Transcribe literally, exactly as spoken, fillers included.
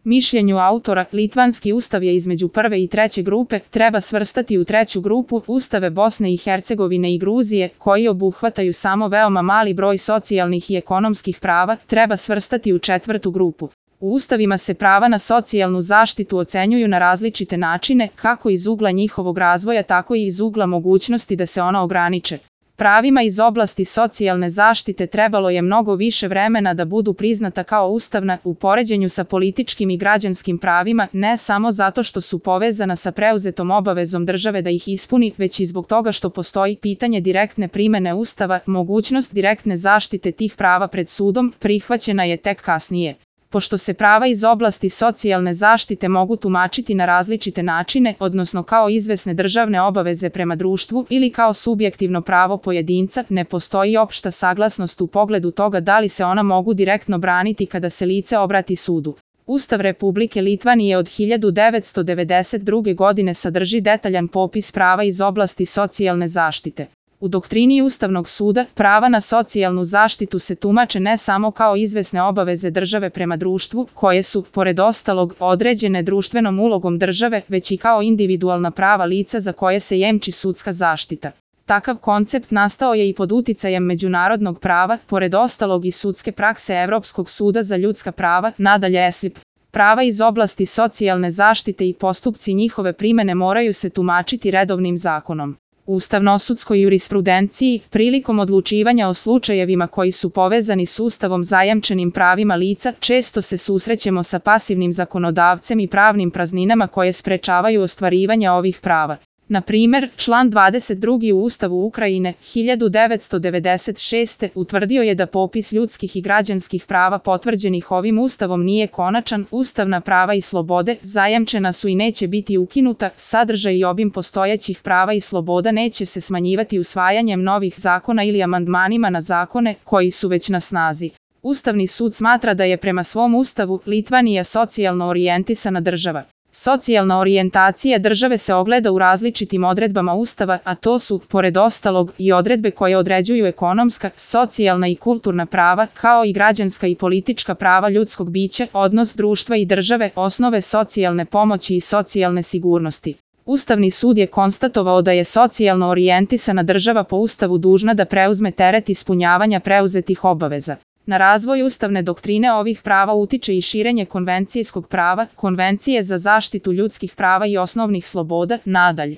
Mišljenju autora, litvanski ustav je između prve i treće grupe, treba svrstati u treću grupu ustave Bosne i Hercegovine i Gruzije, koji obuhvataju samo veoma mali broj socijalnih i ekonomskih prava, treba svrstati u četvrtu grupu. U ustavima se prava na socijalnu zaštitu ocenjuju na različite načine, kako iz ugla njihovog razvoja, tako i iz ugla mogućnosti da se ona ograniče. Pravima iz oblasti socijalne zaštite trebalo je mnogo više vremena da budu priznata kao ustavna u poređenju sa političkim i građanskim pravima, ne samo zato što su povezana sa preuzetom obavezom države da ih ispuni, već i zbog toga što postoji pitanje direktne primene Ustava, mogućnost direktne zaštite tih prava pred sudom prihvaćena je tek kasnije. Pošto se prava iz oblasti socijalne zaštite mogu tumačiti na različite načine, odnosno kao izvesne državne obaveze prema društvu ili kao subjektivno pravo pojedinca, ne postoji opšta saglasnost u pogledu toga da li se ona mogu direktno braniti kada se lice obrati sudu. Ustav Republike Litvanije od hiljadu devetsto devedeset druge. godine sadrži detaljan popis prava iz oblasti socijalne zaštite. U doktrini Ustavnog suda, prava na socijalnu zaštitu se tumače ne samo kao izvesne obaveze države prema društvu, koje su, pored ostalog, određene društvenom ulogom države, već i kao individualna prava lica za koje se jemči sudska zaštita. Takav koncept nastao je i pod uticajem međunarodnog prava, pored ostalog i sudske prakse Evropskog suda za ljudska prava, nadalje E S L I P. Prava iz oblasti socijalne zaštite i postupci njihove primene moraju se tumačiti redovnim zakonom. U ustavnosudskoj jurisprudenciji, prilikom odlučivanja o slučajevima koji su povezani s Ustavom zajamčenim pravima lica, često se susrećemo sa pasivnim zakonodavcem i pravnim prazninama koje sprečavaju ostvarivanje ovih prava. Na primer, član dvadeset drugi u Ustavu Ukrajine hiljadu devetsto devedeset šeste. utvrdio je da popis ljudskih i građanskih prava potvrđenih ovim Ustavom nije konačan, ustavna prava i slobode zajamčena su i neće biti ukinuta, sadržaj i obim postojećih prava i sloboda neće se smanjivati usvajanjem novih zakona ili amandmanima na zakone koji su već na snazi. Ustavni sud smatra da je prema svom ustavu Litvanija socijalno orijentisana država. Socijalna orijentacija države se ogleda u različitim odredbama Ustava, a to su, pored ostalog, i odredbe koje određuju ekonomska, socijalna i kulturna prava, kao i građanska i politička prava ljudskog bića, odnos društva i države, osnove socijalne pomoći i socijalne sigurnosti. Ustavni sud je konstatovao da je socijalno orijentisana država po Ustavu dužna da preuzme teret ispunjavanja preuzetih obaveza. Na razvoj ustavne doktrine ovih prava utiče i širenje konvencijskog prava, Konvencije za zaštitu ljudskih prava i osnovnih sloboda, nadalje.